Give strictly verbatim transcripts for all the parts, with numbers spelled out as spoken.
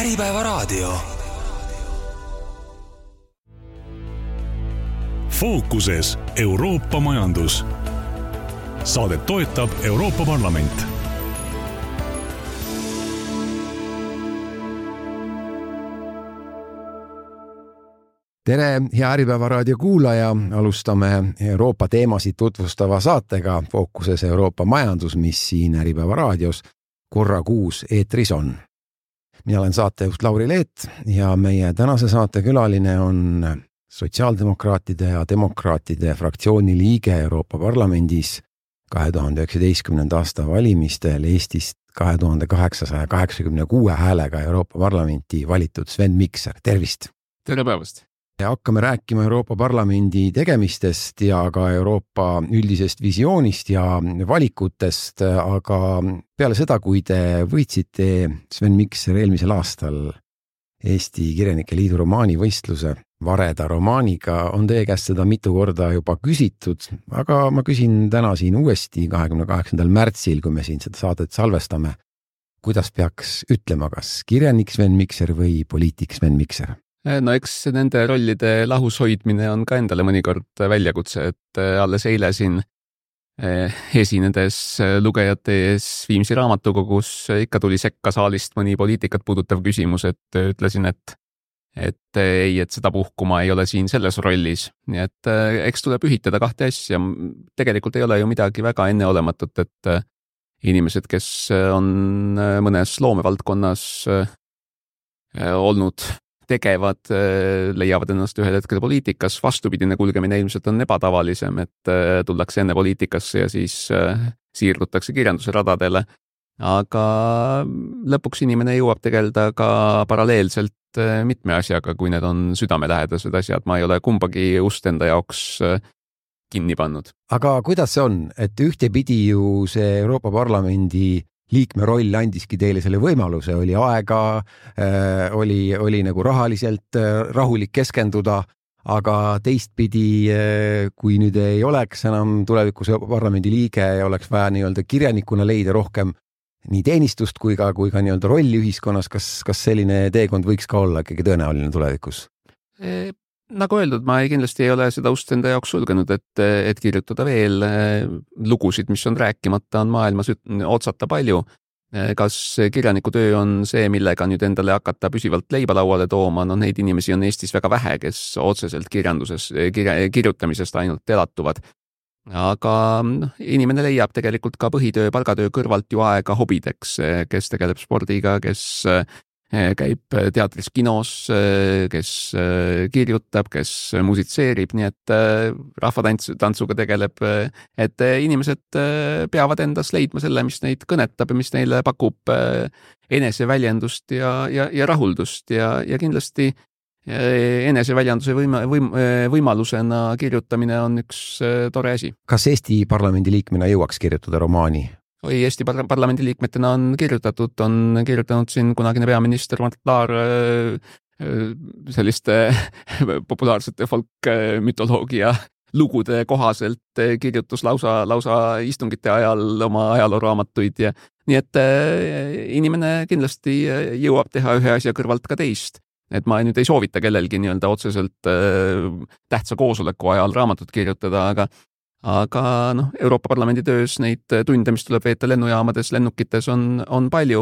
Äripäevaraadio. Fookuses Euroopa majandus. Saadet toetab Euroopa Parlament. Tere, hea Äripäevaraadio kuulaja. Alustame Euroopa teemasid tutvustava saatega Fookuses Euroopa majandus, mis siin Äripäevaraadios korra kuus eetris on. Mina olen saatejuht Lauri Leet ja meie tänase saate külaline on sotsiaaldemokraatide ja demokraatide fraktsiooni liige Euroopa Parlamendis kahe tuhande üheksateistkümnenda aasta valimistel Eestist kahe tuhande kaheksasaja kaheksakümne kuue häälega Euroopa Parlamenti valitud Sven Mikser. Tervist! Tere päevast! Ja hakkame rääkima Euroopa Parlamendi tegemistest ja ka Euroopa üldisest visioonist ja valikutest, aga peale seda, kui te võitsite Sven Mikser eelmisel aastal Eesti Kirjanike Liidu romaanivõistluse Vareda romaaniga, on teie käest seda mitu korda juba küsitud, aga ma küsin täna siin uuesti kahekümne kaheksandal märtsil, kui me siin seda saadet salvestame. Kuidas peaks ütlema, kas kirjanik Sven Mikser või poliitik Sven Mikser? No eks nende rollide lahus hoidmine on ka endale mõnikord väljakutse, et alles eile siin esinedes lugejate ees Viimsi raamatukogus ikka tuli sekka saalist mõni poliitikat puudutav küsimus, et ütlesin, et, et ei, et seda puhkuma ei ole siin selles rollis. Nii et eks tuleb ühitada kahte asja. Tegelikult ei ole ju midagi väga enneolematut, et inimesed, kes on mõnes loomevaldkonnas olnud tegevad, leiavad ennast ühel hetkel poliitikas. Vastupidine kulgemine ilmselt on ebatavalisem, et tullakse enne poliitikasse ja siis siirdutakse kirjanduse radadele. Aga lõpuks inimene jõuab tegeleda ka paralleelselt mitme asjaga, kui need on südamelähedased asjad. Ma ei ole kumbagi ust enda jaoks kinni pannud. Aga kuidas see on, et ühtepidi ju see Euroopa Parlamendi liikme roll andiski teile selle võimaluse, oli aega, äh, oli, oli nagu rahaliselt äh, rahulik keskenduda, aga teistpidi, äh, kui nüüd ei oleks enam tulevikus parlamendi liige ja oleks vaja nii-öelda kirjanikuna leida rohkem nii teenistust kui ka, kui ka nii-öelda rolli ühiskonnas, kas, kas selline teekond võiks ka olla ikkagi tõenäoline tulevikus? E Nagu öeldud, ma ei, kindlasti ei ole seda ust enda jaoks sulgenud, et, et kirjutada veel lugusid, mis on rääkimata, on maailmas otsata palju. Kas kirjaniku töö on see, millega nüüd endale hakata püsivalt leiba lauale tooma? No neid inimesi on Eestis väga vähe, kes otseselt kirjanduses, kirja, kirjutamisest ainult elatuvad. Aga no, inimene leiab tegelikult ka põhitöö, palgatöö kõrvalt ju aega hobideks, kes tegeleb spordiga, kes käib teatris, kinos, kes kirjutab, kes musitseerib, nii et rahvatantsuga tegeleb, et inimesed peavad endas leidma selle, mis neid kõnetab ja mis neile pakub eneseväljendust ja, ja, ja rahuldust ja, ja kindlasti eneseväljenduse võima, võim, võimalusena kirjutamine on üks tore asi. Kas Eesti parlamendi liikmena jõuaks kirjutada romaani? Oi, Eesti parlamendi liikmetena on kirjutatud, on kirjutanud siin kunagine peaminister Mart Laar selliste populaarsete folkmütoloogia lugude kohaselt kirjutus lausa, lausa istungite ajal oma ajalooraamatuid ja nii et inimene kindlasti jõuab teha ühe asja kõrvalt ka teist. Et ma nüüd ei soovita kellelgi nii-öelda otseselt tähtsa koosoleku ajal raamatut kirjutada, aga Aga noh, Euroopa Parlamendi töös neid tunde, mis tuleb veeta lennujaamades, lennukites on, on palju.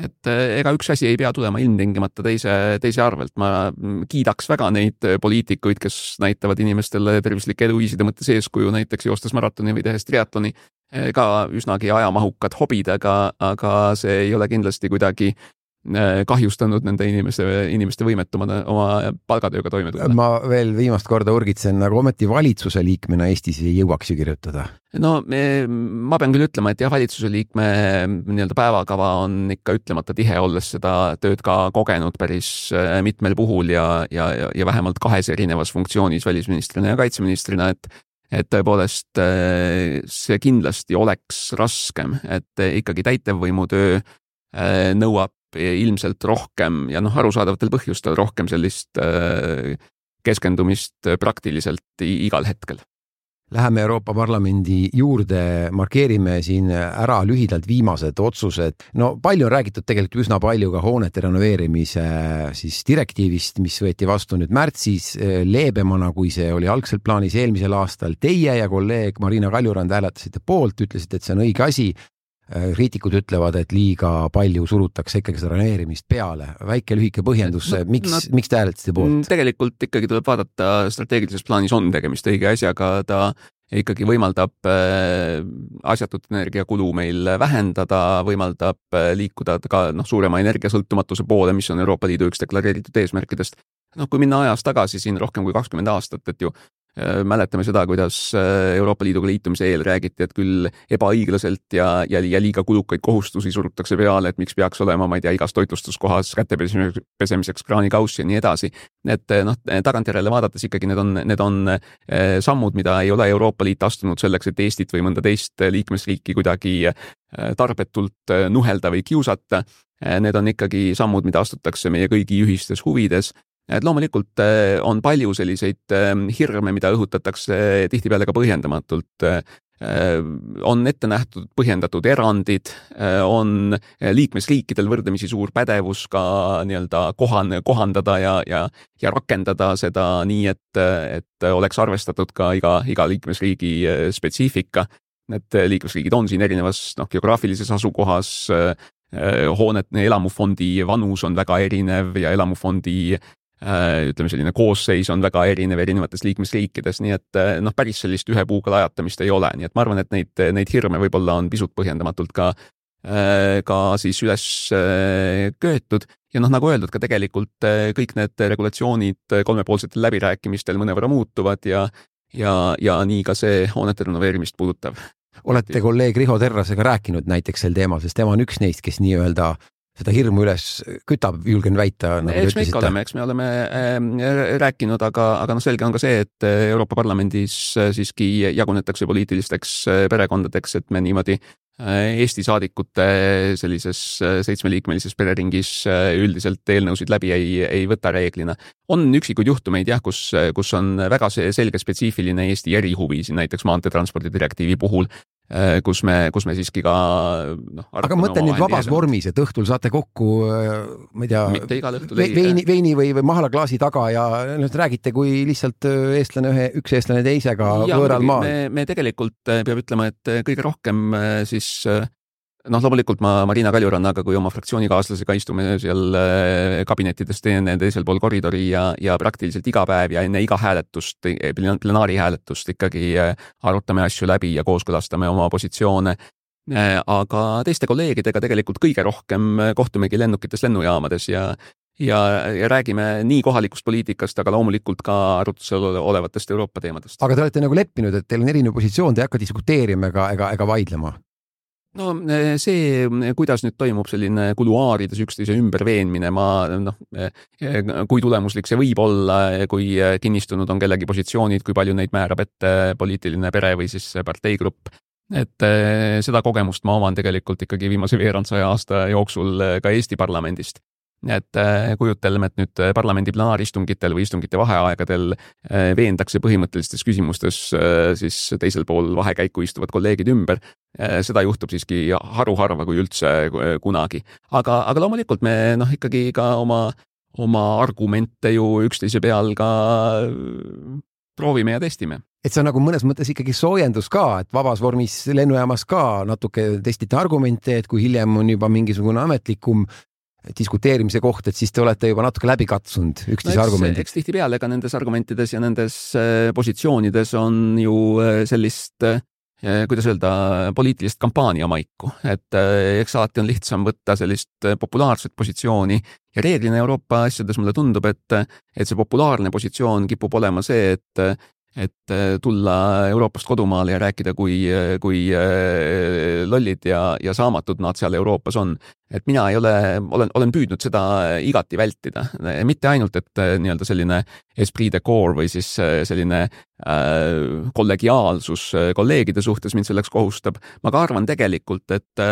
Et ega üks asi ei pea tulema ilmtingimata teise, teise arvelt. Ma kiidaks väga neid poliitikuid, kes näitavad inimestele tervislike eluviiside mõttes eeskuju, näiteks joostes maratoni või tehes triatloni, ka üsnagi ajamahukad hobid, aga, aga see ei ole kindlasti kuidagi kahjustanud nende inimeste, inimeste võimetuma oma palgatööga toime tulla. Ma veel viimast korda urgitsen, nagu ometi valitsuse liikmena Eestis ei jõuaks ju kirjutada. No ma pean küll ütlema, et jah, valitsuse liikme nii-öelda päevakava on ikka ütlemata tihe, olles seda tööd ka kogenud päris mitmel puhul ja, ja, ja vähemalt kahes erinevas funktsioonis välisministrina ja kaitseministrina, et et tõepoolest see kindlasti oleks raskem, et ikkagi täitevvõimu töö nõuab ilmselt rohkem ja noh, arusaadavatel põhjustel rohkem sellist keskendumist praktiliselt igal hetkel. Läheme Euroopa Parlamendi juurde, markeerime siin ära lühidalt viimased otsused. No palju on räägitud tegelikult üsna palju ka hoonete renoveerimise siis direktiivist, mis võeti vastu nüüd märtsis leebemana, kui see oli algselt plaanis eelmisel aastal. Teie ja kolleeg Marina Kaljurand hääletasite poolt, ütlesite, et see on õige asi. Kriitikud ütlevad, et liiga palju surutakse ikkagi seda renoveerimist peale. Väike lühike põhjendus, no, miks, no, miks te hääletasite poolt? Tegelikult ikkagi tuleb vaadata, strateegilises plaanis on tegemist õige asjaga, ta ikkagi võimaldab asjatut energiakulu meil vähendada, võimaldab liikuda ka no, suurema energiasõltumatuse poole, mis on Euroopa Liidu üks deklareeritud eesmärkidest. No, kui minna ajas tagasi siin rohkem kui kakskümmend aastat, et ju mäletame seda, kuidas Euroopa Liiduga liitumise eel räägiti, et küll ebaõiglaselt ja, ja, ja liiga kulukaid kohustusi surutakse peale, et miks peaks olema, ma ei tea, igas toitlustuskohas kätepesemiseks kraanikaussi ja nii edasi. Et noh, tagantjärele vaadates ikkagi need on, need on sammud, mida ei ole Euroopa Liit astunud selleks, et Eestit või mõnda teist liikmesriiki kuidagi tarbetult nuhelda või kiusata. Need on ikkagi sammud, mida astutakse meie kõigi ühistes huvides. Et loomulikult on palju selliseid hirme, mida õhutatakse tihtipeale ka põhjendamatult. On ette nähtud põhjendatud erandid, on liikmesriikidel võrdlemisi suur pädevus ka nii-öelda kohan, kohandada ja, ja, ja rakendada seda nii, et, et oleks arvestatud ka iga, iga liikmesriigi spetsiifika. Need liikmesriigid on siin erinevas noh, geograafilises asukohas, hoonet, elamufondi vanus on väga erinev ja elamufondi ütleme selline koosseis on väga erinev erinevates liikmesriikides, nii et noh, päris sellist ühe puuga lajatamist ei ole, nii et ma arvan, et neid, neid hirme võib-olla on pisut põhjendamatult ka, ka siis üles köetud ja noh, nagu öeldud, ka tegelikult kõik need regulatsioonid kolmepoolsetel läbirääkimistel mõnevõrra muutuvad ja, ja, ja nii ka see hoonete renoveerimist puudutav. Olete kolleeg Riho Terrasega rääkinud näiteks sel teemal, sest tema on üks neist, kes nii-öelda seda hirmu üles kütab, julgen väita. Nagu eks me ikka oleme, eks me oleme äh, rääkinud, aga, aga no selge on ka see, et Euroopa Parlamendis siiski jagunetakse poliitilisteks perekondadeks, et me niimoodi Eesti saadikute sellises seitsmeliikmelises pereringis üldiselt eelnõusid läbi ei, ei võta reeglina. On üksikuid juhtumeid, jah, kus, kus on väga selge spetsiifiline Eesti erihuvi, näiteks maanteetranspordi direktiivi puhul, kus me, kus me siiski ka noh, aga mõtlen nüüd vabas vormis, et õhtul saate kokku, ma ei tea, mitte igal õhtul ve veini, veini või, või mahalaklaasi taga ja nüüd räägite, kui lihtsalt eestlane ühe, üks eestlane teisega ja, võõral maal. Me, me tegelikult peab ütlema, et kõige rohkem siis noh, loomulikult ma Marina Kaljurannaga kui oma fraktsioonikaaslasega istume seal kabinettides teine teisel pool koridori ja, ja praktiliselt iga päev ja enne iga hääletust, plenaari hääletust ikkagi arutame asju läbi ja kooskõlastame oma positsioone. Aga teiste kolleegidega tegelikult kõige rohkem kohtumegi lennukites lennujaamades ja Ja, ja räägime nii kohalikust poliitikast, aga loomulikult ka arutusel olevatest Euroopa teemadest. Aga te olete nagu leppinud, et teil on erinev positsioon, te ei hakka diskuteerima ega, ega, ega vaidlema? No see, kuidas nüüd toimub selline kuluaarides üksteise ümberveenmine, ma noh, kui tulemuslik see võib olla, kui kinnistunud on kellegi positsioonid, kui palju neid määrab ette poliitiline pere või siis parteigrupp. Et seda kogemust ma oman tegelikult ikkagi viimase veerandsaja aasta jooksul ka Eesti parlamendist. Et kujutelme, et nüüd parlamendi plenaaristungitel või istungite vaheaegadel veendakse põhimõttelistes küsimustes siis teisel pool vahekäiku istuvad kolleegid ümber. Seda juhtub siiski haruharva kui üldse kunagi. Aga, aga loomulikult me noh, ikkagi ka oma, oma argumente ju üksteise peal ka proovime ja testime. Et see on nagu mõnes mõttes ikkagi soojendus ka, et vabas vormis lennujaamas ka natuke testite argumente, et kui hiljem on juba mingisugune ametlikum diskuteerimise koht, et siis te olete juba natuke läbi katsunud üksteise no, argumendid. Eks tihti peale ka nendes argumentides ja nendes positsioonides on ju sellist, kuidas öelda, poliitilist kampaania maiku. Et eks alati on lihtsam võtta sellist populaarset positsiooni ja reeglina Euroopa asjades mulle tundub, et, et see populaarne positsioon kipub olema see, et et tulla Euroopast kodumaale ja rääkida, kui, kui lollid ja, ja saamatud nad seal Euroopas on. Et mina ei ole, olen, olen püüdnud seda igati vältida. Mitte ainult, et nii-öelda selline esprit de corps või siis selline äh, kollegiaalsus kolleegide suhtes mind selleks kohustab. Ma ka arvan tegelikult, et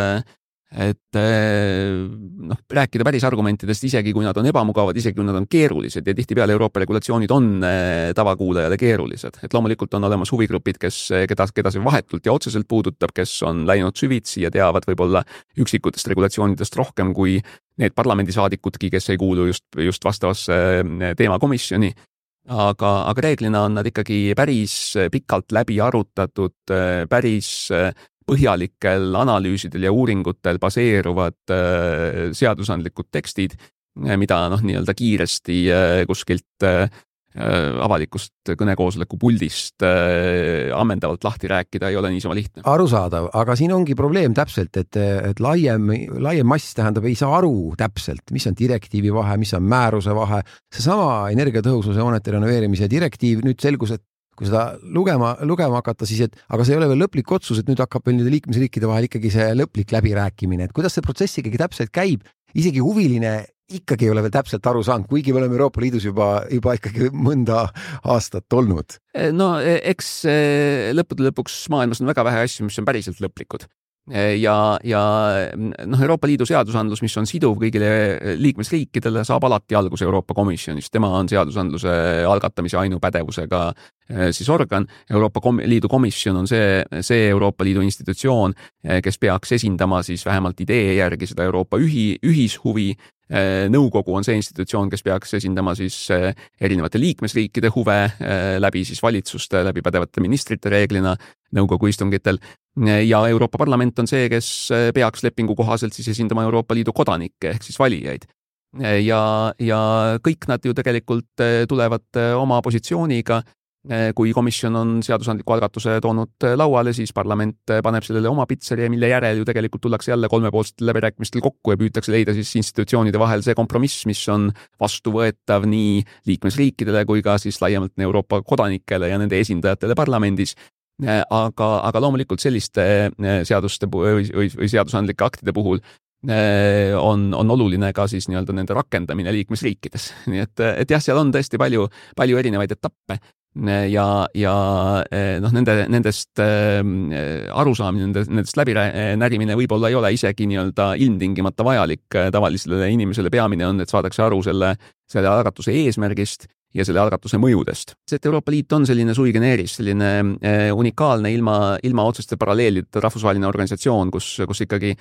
et noh, rääkida päris argumentidest, isegi kui nad on ebamugavad, isegi kui nad on keerulised ja tihtipeale Euroopa regulatsioonid on tavakuulajale keerulised. Et loomulikult on olemas huvigrupid, kes, keda, keda see vahetult ja otseselt puudutab, kes on läinud süvitsi ja teavad võib-olla üksikutest regulatsioonidest rohkem kui need parlamendisaadikudki, kes ei kuulu just, just vastavasse teemakomisjoni. Aga, aga reeglina on nad ikkagi päris pikalt läbi arutatud, päris põhjalikel analüüsidel ja uuringutel baseeruvad seadusandlikud tekstid, mida noh, nii-öelda kiiresti kuskilt avalikust kõnekoosoleku puldist ammendavalt lahti rääkida ei ole niisama lihtne. Arusaadav, aga siin ongi probleem täpselt, et, et laiem, laiem mass tähendab, ei saa aru täpselt, mis on direktiivi vahe, mis on määruse vahe. Seesama energiatõhususe hoonete renoveerimise direktiiv nüüd selgus, et kui seda lugema, lugema hakata, siis et aga see ei ole veel lõplik otsus, et nüüd hakkab veel nüüd liikmesriikide vahel ikkagi see lõplik läbirääkimine, et kuidas see protsess ikkagi täpselt käib, isegi huviline ikkagi ei ole veel täpselt aru saanud, kuigi me oleme Euroopa Liidus juba, juba ikkagi mõnda aastat olnud. No eks lõppude lõpuks maailmas on väga vähe asju, mis on päriselt lõplikud. Ja, ja noh, Euroopa Liidu seadusandlus, mis on siduv kõigile liikmesriikidele, saab alati alguse Euroopa Komisjonist. Tema on seadusandluse algatamise ainupädevusega siis organ. Euroopa Liidu komisjon on see, see Euroopa Liidu institutsioon, kes peaks esindama siis vähemalt idee järgi seda Euroopa ühi, ühishuvi. Nõukogu on see institutsioon, kes peaks esindama siis erinevate liikmesriikide huve läbi siis valitsuste, läbi pädevate ministrite reeglina nõukogu istungitel. Ja Euroopa Parlament on see, kes peaks lepingu kohaselt siis esindama Euroopa Liidu kodanikke ehk siis valijaid. Ja, ja kõik nad ju tegelikult tulevad oma positsiooniga. Kui komisjon on seadusandliku algatuse toonud lauale, siis parlament paneb sellele oma pitseri, mille järel ju tegelikult tullakse jälle kolmepoolsetel läbirääkimistel kokku ja püütakse leida siis institutsioonide vahel see kompromiss, mis on vastuvõetav nii liikmesriikidele kui ka siis laiemalt Euroopa kodanikele ja nende esindajatele parlamendis. Aga, aga loomulikult selliste seaduste või, või, või seadusandlike aktide puhul on, on oluline ka siis nii-öelda nende rakendamine liikmesriikides. Nii et, et jah, seal on tõesti palju, palju erinevaid etappe. Ja, ja noh, nende, nendest arusaamine, nendest, nendest läbinärimine võib-olla ei ole isegi nii-öelda ilmtingimata vajalik tavalisele inimesele. Peamine on, et saadakse aru selle, selle algatuse eesmärgist ja selle algatuse mõjudest. See, et Euroopa Liit on selline sui generis, selline unikaalne ilma, ilma otseste paralleelide rahvusvaheline organisatsioon, kus, kus ikkagi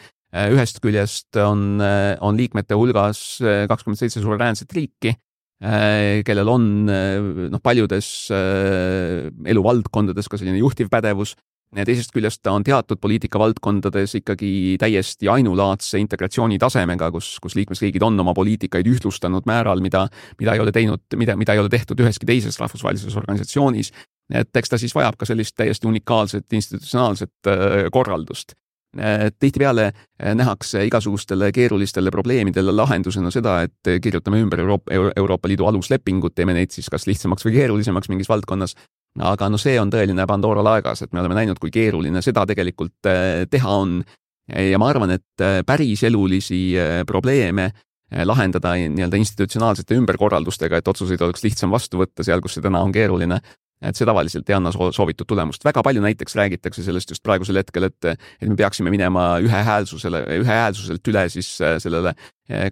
ühest küljest on, on liikmete hulgas kakskümmend seitse suveräänset riiki, kellel on noh, paljudes eluvaldkondades ka selline juhtivpädevus. Teisest küljest ta on teatud poliitikavaldkondades ikkagi täiesti ainulaadse integratsiooni tasemega, kus, kus liikmesriigid on oma poliitikaid ühtlustanud määral, mida, mida, ei ole teinud, mida, mida ei ole tehtud üheski teises rahvusvahelises organisatsioonis. Et eks ta siis vajab ka sellist täiesti unikaalset institutsionaalset korraldust. Tihtipeale nähakse igasugustele keerulistele probleemidele lahendusena seda, et kirjutame ümber Euroopa, Euroopa Liidu aluslepingut, teeme neid siis kas lihtsamaks või keerulisemaks mingis valdkonnas. Aga no see on tõeline Pandora laegas, et me oleme näinud, kui keeruline seda tegelikult teha on. Ja ma arvan, et päris elulisi probleeme lahendada nii-öelda institutsionaalsete ümberkorraldustega, et otsuseid oleks lihtsam vastu võtta seal, kus see täna on keeruline. Et see tavaliselt ei anna soovitud tulemust. Väga palju näiteks räägitakse sellest just praegusel hetkel, et, et me peaksime minema ühehäälsusele, ühehäälsuselt üle siis sellele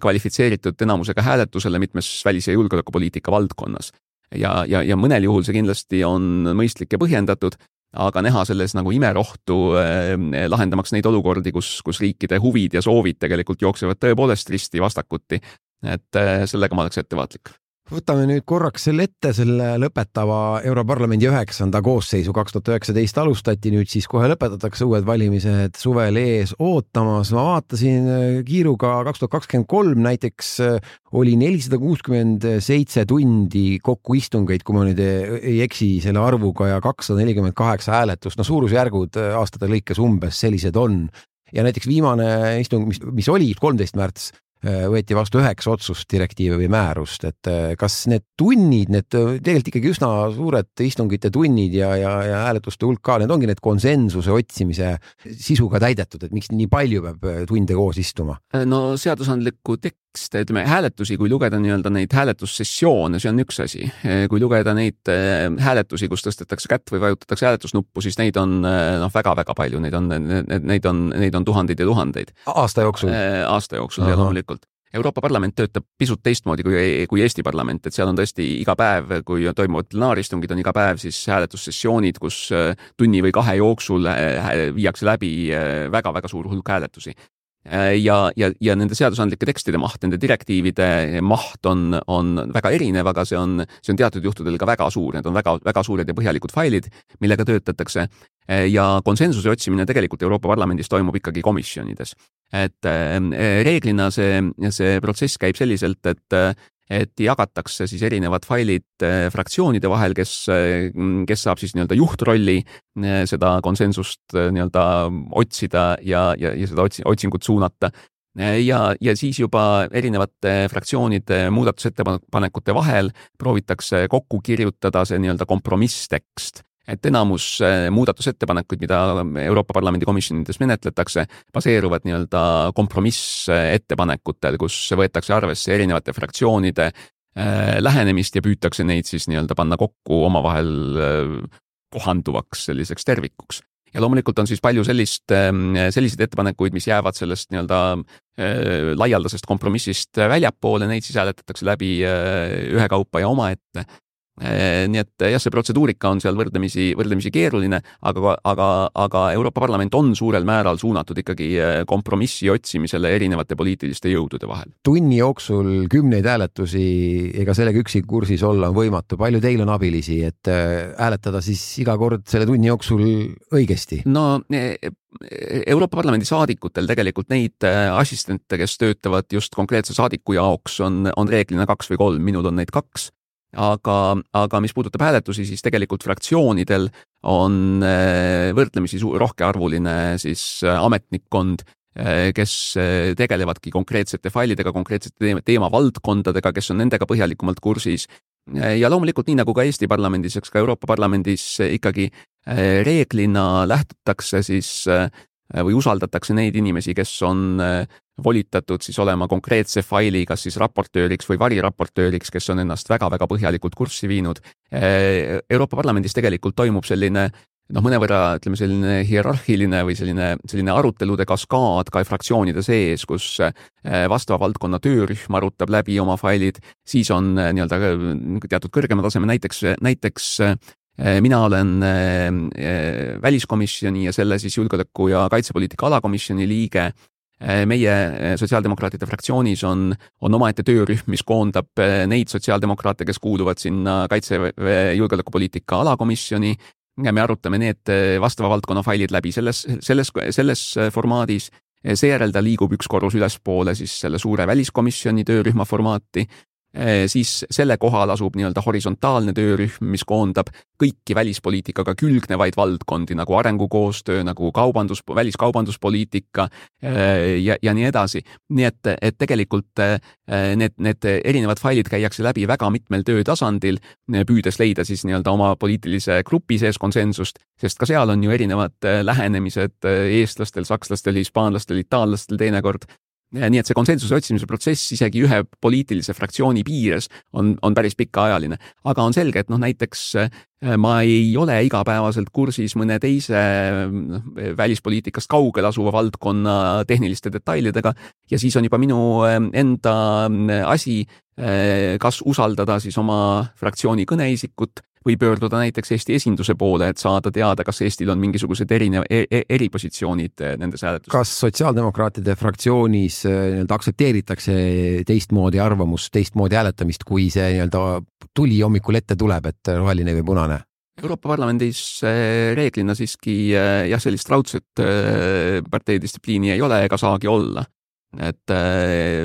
kvalifitseeritud enamusega hääletusele mitmes välis- ja julgeolekupoliitika valdkonnas. Ja, ja, ja mõnel juhul see kindlasti on mõistlik ja põhjendatud, aga näha selles nagu imerohtu eh, lahendamaks neid olukordi, kus, kus riikide huvid ja soovid tegelikult jooksevad tõepoolest risti vastakuti. Et eh, sellega ma oleks ettevaatlik. Võtame nüüd korraks selle ette, selle lõpetava Europarlamendi üheksanda koosseisu kaks tuhat üheksateist alustati, nüüd siis kohe lõpetatakse uued valimised suvel ees ootamas. Ma vaatasin kiiruga kaks tuhat kakskümmend kolm näiteks oli nelisada kuuskümmend seitse tundi kokku istungeid, kui ma nüüd ei eksi selle arvuga, ja kakssada nelikümmend kaheksa hääletust. No suurusjärgud aastate lõikes umbes sellised on. Ja näiteks viimane istung, mis, mis oli kolmteist märts, võeti vastu üheksa otsust, direktiive või määrust, et kas need tunnid, need tegelikult ikkagi üsna suured istungite tunnid ja, ja, ja hääletuste hulk ka, need ongi need konsensuse otsimise sisuga täidetud, et miks nii palju peab tunde koos istuma? No seadusandliku tek- tekste, ütleme hääletusi, kui lugeda nii-öelda neid hääletussessioone, see on üks asi. Kui lugeda neid hääletusi, kus tõstetakse kätt või vajutatakse hääletusnuppu, siis neid on noh, väga-väga palju, neid on, neid on, neid on tuhandeid ja tuhandeid. Aasta jooksul? Aasta jooksul ja loomulikult. Euroopa Parlament töötab pisut teistmoodi kui, kui Eesti Parlament, et seal on tõesti iga päev, kui toimuvad plenaaristungid, on iga päev siis hääletussessioonid, kus tunni või kahe jooksul viiakse läbi väga-väga suur hulk hääletusi. Ja, ja, ja nende seadusandlike tekstide maht, nende direktiivide maht on, on väga erinev, aga see on, see on teatud juhtudel ka väga suur, need on väga, väga suured ja põhjalikud failid, millega töötatakse ja konsensuse otsimine tegelikult Euroopa Parlamendis toimub ikkagi komisjonides. Et reeglina see, see protsess käib selliselt, et et jagatakse siis erinevad failid fraktsioonide vahel, kes, kes saab siis nii-öelda juhtrolli seda konsensust nii-öelda otsida ja, ja, ja seda otsi, otsingut suunata. Ja, ja siis juba erinevate fraktsioonide muudatusettepanekute vahel proovitakse kokku kirjutada see nii-öelda kompromisstekst. Et enamus muudatusettepanekuid, mida Euroopa Parlamendi komisjonides menetletakse, baseeruvad nii-öelda kompromissettepanekutel, kus võetakse arvesse erinevate fraktsioonide lähenemist ja püütakse neid siis nii-öelda panna kokku omavahel kohanduvaks selliseks tervikuks. Ja loomulikult on siis palju sellist, selliseid ettepanekuid, mis jäävad sellest nii-öelda laialdasest kompromissist väljapoole, neid siis hääletatakse läbi ühe kaupa ja omaette. Nii et jah, see protseduurika on seal võrdlemisi, võrdlemisi keeruline, aga, aga, aga Euroopa Parlament on suurel määral suunatud ikkagi kompromissi otsimisele erinevate poliitiliste jõudude vahel. Tunni jooksul kümneid hääletusi ega sellega üksi kursis olla on võimatu. Palju teil on abilisi, et hääletada siis iga kord selle tunni jooksul õigesti? No Euroopa Parlamendi saadikutel tegelikult neid assistente, kes töötavad just konkreetse saadiku jaoks, on, on reeglina kaks või kolm, minul on neid kaks. Aga, aga mis puudutab hääletusi, siis tegelikult fraktsioonidel on võrdlemisi rohkearvuline siis ametnikkond, kes tegelevadki konkreetsete failidega, konkreetsete teemavaldkondadega, kes on nendega põhjalikumalt kursis. Ja loomulikult nii nagu ka Eesti Parlamendis, eks ka Euroopa Parlamendis ikkagi reeglina lähtutakse siis või usaldatakse neid inimesi, kes on volitatud siis olema konkreetse faili kas siis raportööriks või variraportööriks, kes on ennast väga-väga põhjalikult kurssi viinud. Euroopa Parlamendis tegelikult toimub selline noh, mõnevõrra ütleme selline hierarhiline või selline, selline arutelude kaskaad ka fraktsioonide sees, kus vastava valdkonna töörühm arutab läbi oma failid, siis on nii-öelda teatud kõrgema taseme, näiteks, näiteks mina olen väliskomisjoni ja selle siis julgeoleku ja kaitsepoliitika alakomisjoni liige. Meie sotsiaaldemokraatide fraktsioonis on, on omaette töörühm, mis koondab neid sotsiaaldemokraate, kes kuuluvad sinna kaitse- julgeolekupoliitika alakomisjoni. Me arutame need vastava valdkonna failid läbi selles, selles, selles formaadis. Seejärel ta liigub üks korrus ülespoole siis selle suure väliskomisjoni töörühma formaati. Siis selle kohal asub nii-öelda horisontaalne töörühm, mis koondab kõiki välispoliitikaga külgnevaid valdkondi, nagu arengukoostöö, nagu kaubandus, väliskaubanduspoliitika ja, ja nii edasi. Nii et, et tegelikult need, need erinevad failid käiakse läbi väga mitmel töötasandil, püüdes leida siis nii-öelda oma poliitilise grupi sees konsensust, sest ka seal on ju erinevad lähenemised eestlastel, sakslastel, hispaanlastel, itaallastel teinekord. Nii et see konsensuse otsimise protsess isegi ühe poliitilise fraktsiooni piires on, on päris pikaajaline. Aga on selge, et noh, näiteks ma ei ole igapäevaselt kursis mõne teise välispoliitikast kaugel asuva valdkonna tehniliste detailidega ja siis on juba minu enda asi, kas usaldada siis oma fraktsiooni kõneisikut või pöörduda näiteks Eesti esinduse poole, et saada teada, kas Eestil on mingisugused erinev, eripositsioonid nendes hääletustes. Kas sotsiaaldemokraatide fraktsioonis nii-öelda aksepteeritakse teistmoodi arvamust, teistmoodi hääletamist, kui see nii-öelda tuli hommikul ette tuleb, et roheline või punane? Euroopa Parlamendis reeglina siiski jah, sellist raudset parteidistsipliini ei ole ega saagi olla. Et äh,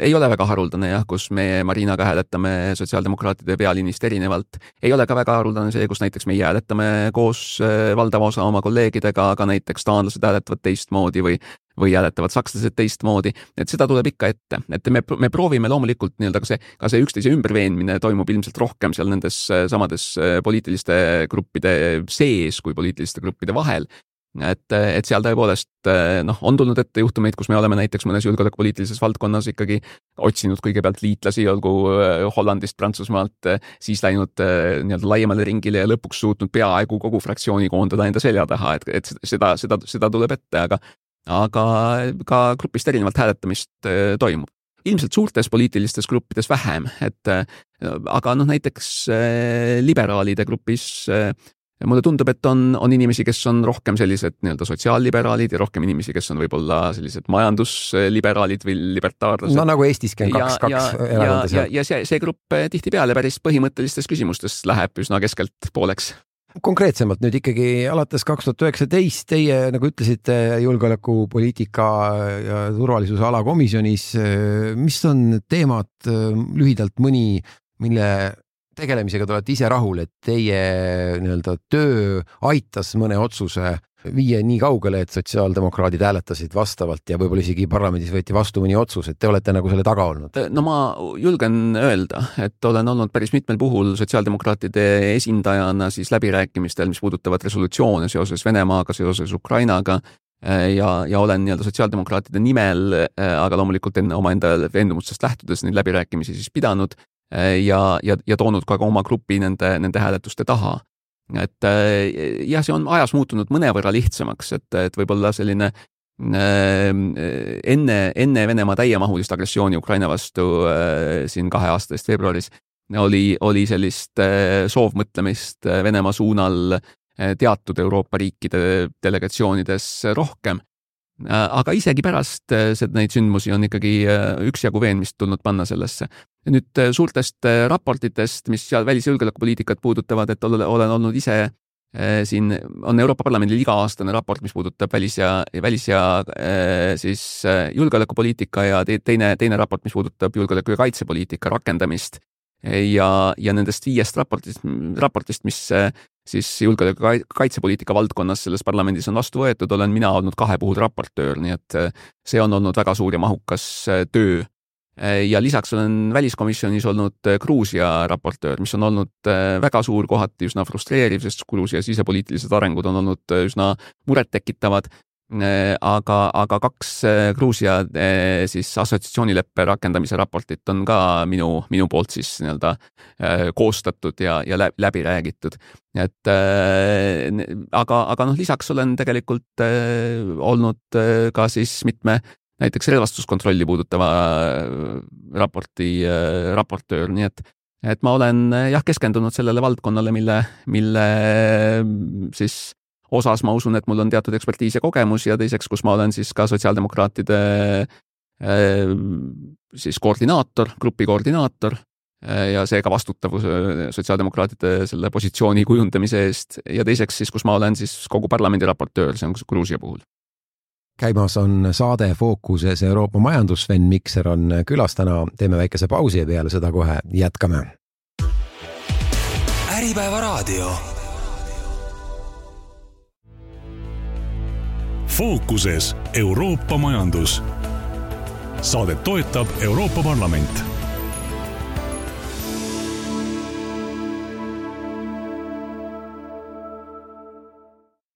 ei ole väga haruldane jah, kus me Marinaga hääletame sotsiaaldemokraatide pealinnist erinevalt. Ei ole ka väga haruldane see, kus näiteks meie hääletame koos äh, valdava osa oma kolleegidega, aga näiteks taanlased hääletavad teistmoodi või, või hääletavad sakslased teistmoodi. Et seda tuleb ikka ette. Et me, me proovime loomulikult nii-öelda ka see, ka see üksteise ümberveenmine toimub ilmselt rohkem seal nendes samades poliitiliste gruppide sees kui poliitiliste gruppide vahel. et, et seal tõepoolest noh, on tulnud ette juhtumeid, kus me oleme näiteks mõnes julgeolekupoliitilises valdkonnas ikkagi otsinud kõigepealt liitlasi, olgu Hollandist, Prantsusmaalt, siis läinud nii-öelda laiemale ringile ja lõpuks suutnud peaaegu kogu fraktsiooni koondada enda selja taha, et, et seda, seda, seda tuleb ette, aga, aga ka grupist erinevalt hääletamist toimub. Ilmselt suurtes poliitilistes gruppides vähem, et aga noh, näiteks liberaalide grupis mulle tundub, et on, on inimesi, kes on rohkem sellised nii-öelda sotsiaalliberaalid ja rohkem inimesi, kes on võib-olla sellised majandusliberaalid või libertaarlased. No nagu Eestiski on kaks, kaks erakonda seal. Ja, ja see, see grupp tihti peale päris põhimõttelistes küsimustes läheb üsna keskelt pooleks. Konkreetsemalt nüüd ikkagi alates kaks tuhat üheksateist teie, nagu ütlesite, julgeolekupoliitika ja turvalisuse alakomisjonis, mis on teemad lühidalt mõni, mille tegelemisega te olete ise rahul, et teie nii-öelda töö aitas mõne otsuse viia nii kaugele, et sotsiaaldemokraadid hääletasid vastavalt ja võib-olla isegi parlamendis võeti vastu mõni otsus, et te olete nagu selle taga olnud? No ma julgen öelda, et olen olnud päris mitmel puhul sotsiaaldemokraatide esindajana siis läbirääkimistel, mis puudutavad resolutsioone seoses Venemaaga, seoses Ukrainaga ja, ja olen nii-öelda sotsiaaldemokraatide nimel, aga loomulikult enne oma enda veendumustest lähtudes neid läbirääkimisi siis pidanud ja, ja, ja toonud ka oma grupi nende, nende hääletuste taha. Et jah, see on ajas muutunud mõnevõrra lihtsamaks, et, et võib-olla selline enne, enne Venemaa täiemahulist agressiooni Ukraina vastu siin kahe aastast veebruaris oli, oli sellist soovmõtlemist Venemaa suunal teatud Euroopa riikide delegatsioonides rohkem. Aga isegi pärast neid sündmusi on ikkagi üksjagu veenmist tulnud panna sellesse. Nüüd suurtest raportitest, mis seal välisjulgeolekupoliitikat puudutavad, et olen olnud ise siin, on Euroopa Parlamendi iga-aastane raport, mis puudutab välis- ja, välis ja siis julgeolekupoliitika ja teine, teine raport, mis puudutab julgeoleku- ja kaitsepoliitika rakendamist. Ja, ja nendest viiest raportist, raportist, mis siis julgeoleku kaitsepoliitika valdkonnas selles parlamendis on vastu võetud, olen mina olnud kahe puhul raportöör, nii et see on olnud väga suur ja mahukas töö. Ja lisaks olen väliskomisjonis olnud Gruusia raportöör, mis on olnud väga suur, kohati üsna frustreeriv, sest Gruusia sisepoliitilised arengud on olnud üsna murettekitavad. Aga, aga kaks Gruusia siis assotsiatsioonileppe rakendamise raportit on ka minu, minu poolt siis nii-öelda koostatud ja, ja läbi räägitud. Et, aga, aga noh, lisaks olen tegelikult olnud ka siis mitme näiteks relvastuskontrolli puudutava raporti raportöör, nii et, et ma olen jah keskendunud sellele valdkonnale, mille, mille siis osas ma usun, et mul on teatud ekspertiis ja kogemus ja teiseks, kus ma olen siis ka sotsiaaldemokraatide siis koordinaator, grupi koordinaator ja seega vastutav sotsiaaldemokraatide selle positsiooni kujundamise eest ja teiseks siis, kus ma olen siis kogu parlamendi raportöör, see on Gruusia puhul. Käimas on saade Fookuses Euroopa majandus, Sven Mikser on külas täna, teeme väikese pausi ja peale seda kohe jätkame. Äripäeva raadio. Fookuses Euroopa majandus. Saadet toetab Euroopa Parlament.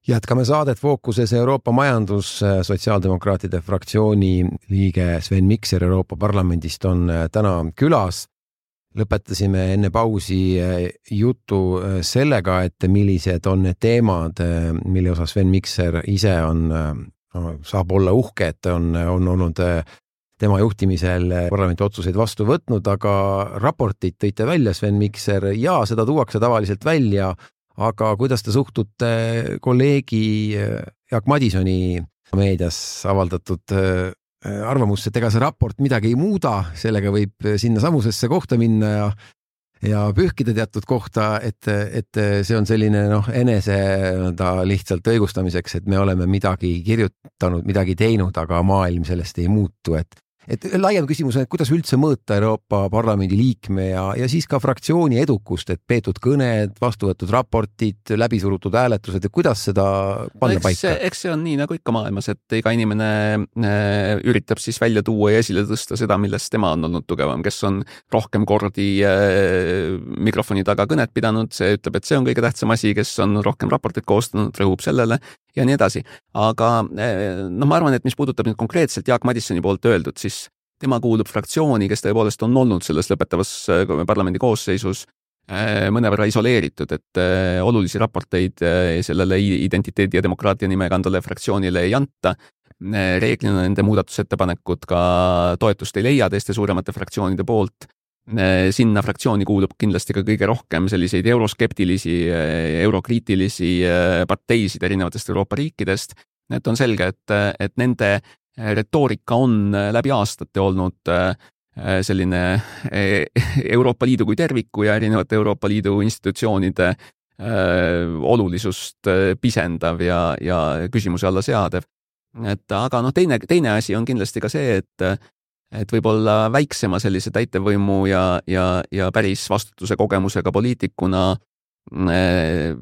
Jätkame saadet Fookuses Euroopa majandus. Sotsiaaldemokraatide fraktsiooni liige Sven Mikser Euroopa Parlamendist on täna külas. Lõpetasime enne pausi jutu sellega, et millised on need teemad, mille osas Sven Mikser ise on, saab olla uhke, et on, on olnud tema juhtimisel parlamenti otsuseid vastu võtnud, aga raportit tõite välja, Sven Mikser, ja seda tuuakse tavaliselt välja, aga kuidas te suhtute kolleegi Jaak Madisoni meedias avaldatud arvamus, et ega see raport midagi ei muuda, sellega võib sinna samusesse kohta minna ja, ja pühkida teatud kohta, et, et see on selline noh, enese ta lihtsalt õigustamiseks, et me oleme midagi kirjutanud, midagi teinud, aga maailm sellest ei muutu, et, et laiem küsimus on, et kuidas üldse mõõta Euroopa Parlamendi liikme ja, ja siis ka fraktsiooni edukust, et peetud kõned, vastuvõetud raportid, läbisurutud hääletused, et kuidas seda panna eks, paika? Eks see on nii nagu ikka maailmas, et iga inimene äh, üritab siis välja tuua ja esile tõsta seda, millest tema on olnud tugevam, kes on rohkem kordi äh, mikrofoni taga kõnet pidanud, see ütleb, et see on kõige tähtsam asi, kes on rohkem raportit koostanud, rõhub sellele ja nii edasi. Aga no ma arvan, et mis puudutab nüüd konkreetselt Jaak Madissoni poolt öeldud, siis tema kuulub fraktsiooni, kes tõepoolest on olnud selles lõpetavas parlamendi koosseisus mõnevõrra isoleeritud, et olulisi raporteid sellele identiteedi ja demokraatia nime kandvale fraktsioonile ei anta. Reeglina nende muudatusettepanekud ka toetust ei leia teiste suuremate fraktsioonide poolt. Sinna fraktsiooni kuulub kindlasti ka kõige rohkem selliseid euroskeptilisi, eurokriitilisi parteisid erinevatest Euroopa riikidest. Et on selge, et, et nende retoorika on läbi aastate olnud selline Euroopa Liidu kui terviku ja erinevate Euroopa Liidu institutsioonide olulisust pisendav ja, ja küsimuse alla seadev. Et, aga no teine, teine asi on kindlasti ka see, et et võib-olla väiksema sellise täitevvõimu ja, ja, ja päris vastutuse kogemusega poliitikuna äh,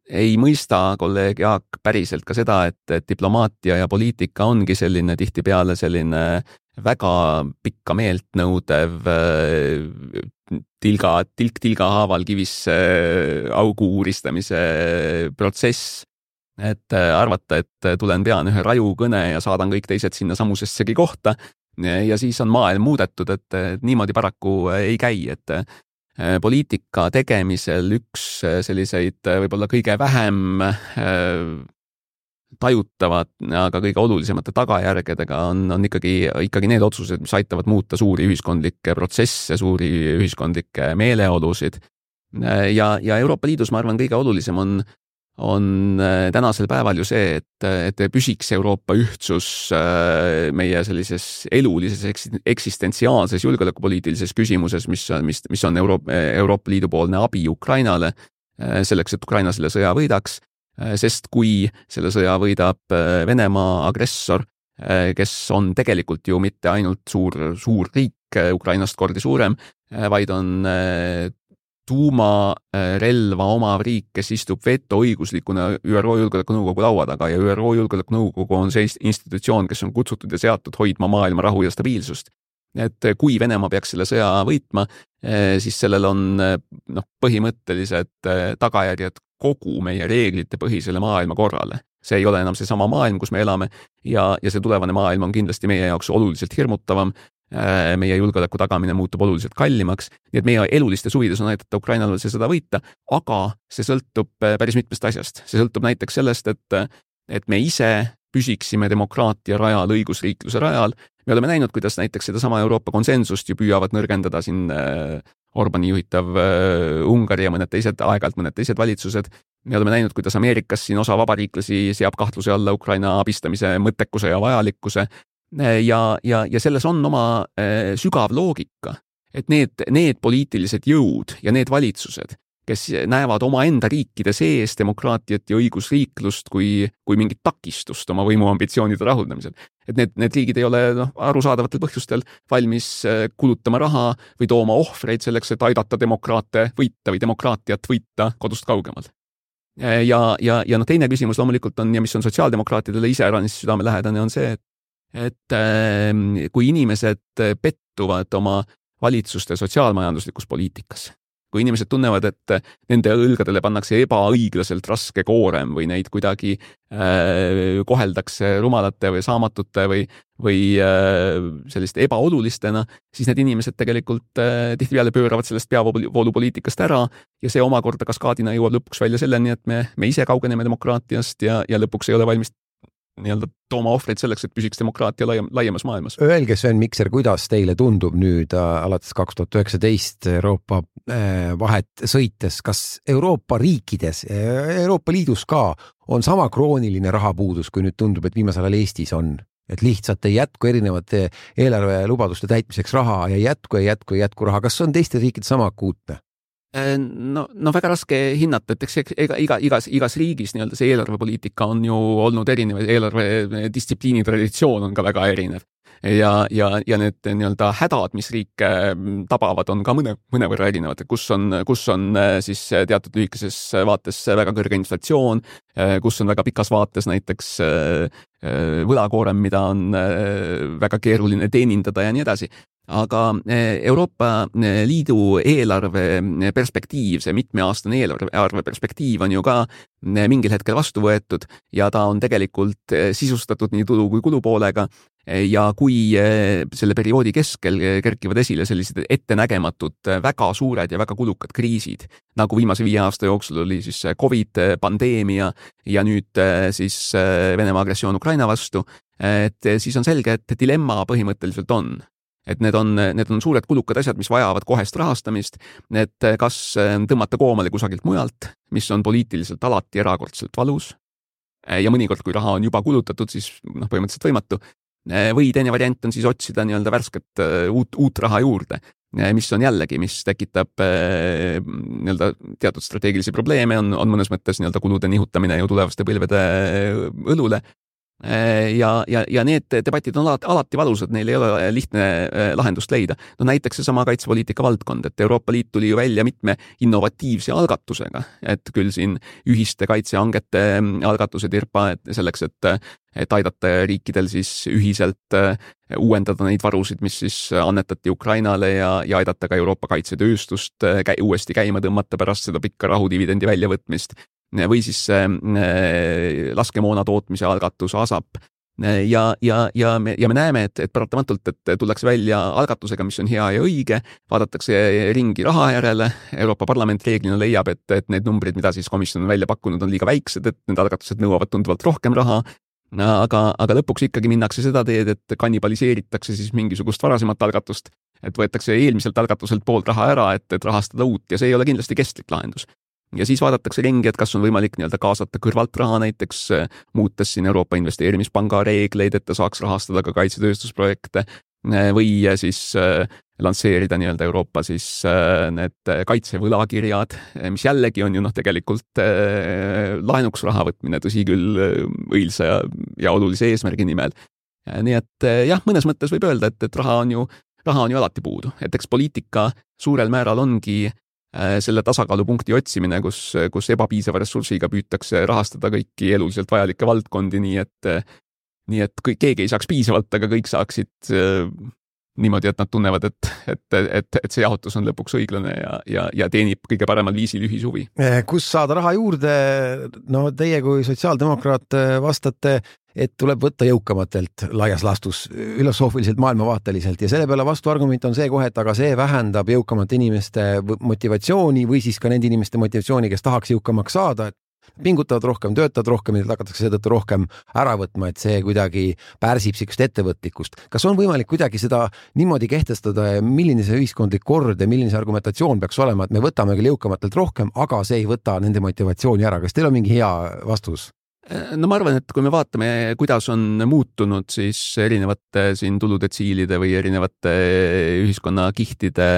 ei mõista kolleeg Jaak päriselt ka seda, et, et diplomaatia ja poliitika ongi selline tihtipeale selline väga pikka meelt nõudev äh, tilga, tilk tilga haaval kivisse augu uuristamise protsess. Et arvata, et tulen pean ühe raju kõne ja saadan kõik teised sinna samusessegi kohta, ja siis on maailm muudetud, et niimoodi paraku ei käi, et poliitika tegemisel üks selliseid võib-olla kõige vähem tajutavad, aga kõige olulisemate tagajärgedega on, on ikkagi, ikkagi need otsused, mis aitavad muuta suuri ühiskondlikke protsesse, suuri ühiskondlikke meeleolusid. Ja, ja Euroopa Liidus, ma arvan, kõige olulisem on on tänasel päeval ju see, et, et püsiks Euroopa ühtsus meie sellises elulises eksistentsiaalses julgeolekupoliitilises küsimuses, mis, mis, mis on Euroopa, Euroopa Liidu poolne abi Ukrainale selleks, et Ukraina selle sõja võidaks, sest kui selle sõja võidab Venemaa agressor, kes on tegelikult ju mitte ainult suur, suur riik Ukrainast kordi suurem, vaid on tuumarelva omav riik, kes istub vetoõiguslikuna Ü R O Julgeolekunõukogu laua taga ja Ü R O Julgeolekunõukogu on see institutsioon, kes on kutsutud ja seatud hoidma maailma rahu ja stabiilsust. Et kui Venemaa peaks selle sõja võitma, siis sellel on noh, põhimõttelised tagajärjed kogu meie reeglite põhisele maailma korrale. See ei ole enam seesama maailm, kus me elame ja, ja see tulevane maailm on kindlasti meie jaoks oluliselt hirmutavam. Meie julgeoleku tagamine muutub oluliselt kallimaks, nii et meie eluliste suvides on aidata Ukrainal see sõda võita, aga see sõltub päris mitmest asjast. See sõltub näiteks sellest, et, et me ise püsiksime demokraatia rajal, õigusriikluse rajal. Me oleme näinud, kuidas näiteks sedasama Euroopa konsensust ju püüavad nõrgendada siin Orbani juhitav Ungari ja mõned teised, aeg-ajalt mõned teised valitsused. Me oleme näinud, kuidas Ameerikas siin osa vabariiklasi seab kahtluse alla Ukraina abistamise mõttekuse ja vajalikkuse. Ja, ja, ja selles on oma äh, sügav loogika, et need, need poliitilised jõud ja need valitsused, kes näevad oma enda riikide sees demokraatiat ja õigusriiklust kui, kui mingit takistust oma võimuambitsioonide rahuldamisel. Et need, need riigid ei ole noh, arusaadavatel põhjustel valmis kulutama raha või tooma ohvreid selleks, et aidata demokraate võita või demokraatiat võita kodust kaugemal. Ja, ja, ja no teine küsimus loomulikult on, ja mis on sotsiaaldemokraatidele iseäranis südamelähedane, on see, et et kui inimesed pettuvad oma valitsuste sotsiaalmajanduslikus poliitikas, kui inimesed tunnevad, et nende õlgadele pannakse ebaõiglaselt raske koorem või neid kuidagi äh, koheldakse rumalate või saamatute või, või äh, sellist ebaolulistena, siis need inimesed tegelikult äh, tihtipeale pööravad sellest peavoolupoliitikast ära ja see omakorda kaskaadina jõuab lõpuks välja selleni, et me, me ise kaugeneme demokraatiast ja, ja lõpuks ei ole valmis nii-öelda tooma ohvreid selleks, et püsiks demokraatia laiem, laiemas maailmas. Öelge, Sven Mikser, kuidas teile tundub nüüd äh, alates kaks tuhat üheksateist Euroopa äh, vahet sõites, kas Euroopa riikides, Euroopa Liidus ka on sama krooniline rahapuudus, kui nüüd tundub, et viimasel ajal Eestis on? Et lihtsalt ei jätku erinevate eelarvelubaduste täitmiseks raha ja ei jätku, ei jätku, ei jätku raha. Kas on teiste riikide sama akuutne? No, no väga raske hinnata, et eks ega, iga, igas, igas riigis nii-öelda see eelarvepoliitika on ju olnud erinev, eelarve distsipliini traditsioon on ka väga erinev. ja, ja, ja need nii-öelda hädad, mis riike tabavad, on ka mõne, mõnevõrra erinevad, kus on, kus on siis teatud lühikeses vaates väga kõrge inflatsioon, kus on väga pikas vaates näiteks võlakoorem, mida on väga keeruline teenindada ja nii edasi. Aga Euroopa Liidu eelarve perspektiiv, see mitmeaastane eelarve perspektiiv on ju ka mingil hetkel vastu võetud ja ta on tegelikult sisustatud nii tulu kui kulupoolega ja kui selle perioodi keskel kerkivad esile sellised ettenägematud väga suured ja väga kulukad kriisid, nagu viimase viie aasta jooksul oli siis Covid, pandeemia ja nüüd siis Venemaa agressioon Ukraina vastu, et siis on selge, et dilemma põhimõtteliselt on. Et need on, need on suured kulukad asjad, mis vajavad kohest rahastamist, et kas tõmmata koomale kusagilt mujalt, mis on poliitiliselt alati erakordselt valus ja mõnikord, kui raha on juba kulutatud, siis noh, põhimõtteliselt võimatu, või teine variant on siis otsida nii-öelda värsket uut, uut raha juurde, mis on jällegi, mis tekitab nii-öelda teatud strateegilisi probleeme, on, on mõnes mõttes nii-öelda kulude nihutamine ju tulevaste põlvede õlule. Ja, ja, ja need debatid on alati, alati valusad, neil ei ole lihtne lahendust leida. No näiteks see sama kaitsepoliitika valdkond, et Euroopa Liit tuli ju välja mitme innovatiivse algatusega, et küll siin ühiste kaitsehangete algatused IRPA, et selleks, et, et aidata riikidel siis ühiselt uuendada neid varusid, mis siis annetati Ukrainale ja, ja aidata ka Euroopa kaitsetööstust käi, uuesti käima tõmmata pärast seda pikka rahudividendi väljavõtmist. Või siis äh, laskemoona tootmise algatus ASAP ja, ja, ja, me, ja me näeme, et, et paratamatult, et tullakse välja algatusega, mis on hea ja õige, vaadatakse ringi raha järele, Euroopa Parlament reeglina leiab, et, et need numbrid, mida siis komisjon on välja pakkunud, on liiga väiksed, et need algatused nõuavad tunduvalt rohkem raha, aga, aga lõpuks ikkagi minnakse seda teed, et kannibaliseeritakse siis mingisugust varasemat algatust, et võetakse eelmiselt algatuselt poolt raha ära, et, et rahastada uut ja see ei ole kindlasti kestlik lahendus. Ja siis vaadatakse ringi, et kas on võimalik nii-öelda kaasata kõrvalt raha näiteks, muutes siin Euroopa Investeerimispanga reegleid, et ta saaks rahastada ka kaitsetööstusprojekte või siis lansseerida nii-öelda Euroopa siis need kaitsevõlakirjad, mis jällegi on ju noh tegelikult laenuks raha võtmine, tõsi küll õilsa ja, ja olulise eesmärgi nimel. Nii et jah, mõnes mõttes võib öelda, et, et raha on ju, raha on ju alati puudu, et eks poliitika suurel määral ongi selle tasakaalupunkti otsimine, kus, kus ebapiisava ressursiga püütakse rahastada kõiki eluliselt vajalikke valdkondi, nii et, nii et kõik, keegi ei saaks piisavalt, aga kõik saaksid niimoodi, et nad tunnevad, et, et, et, et see jaotus on lõpuks õiglane ja, ja, ja teenib kõige paremal viisil ühishuvi. Kus saada raha juurde? No teie kui sotsiaaldemokraat vastate, et tuleb võtta jõukamatelt laias laastus filosoofiliselt, maailmavaateliselt ja selle peale vastuargument on see kohe, et aga see vähendab jõukamate inimeste motivatsiooni või siis ka nende inimeste motivatsiooni, kes tahaks jõukamaks saada, et pingutavad rohkem, töötavad rohkem ja hakatakse seetõttu rohkem ära võtma, et see kuidagi pärsib siukest ettevõtlikkust. Kas on võimalik kuidagi seda niimoodi kehtestada ja milline see ühiskondlik kord ja milline see argumentatsioon peaks olema, et me võtame küll jõukamatelt rohkem, aga see ei võta nende motivatsiooni ära. Kas teil on mingi hea vastus? No ma arvan, et kui me vaatame, kuidas on muutunud siis erinevate siin tuludetsiilide või erinevate ühiskonnakihtide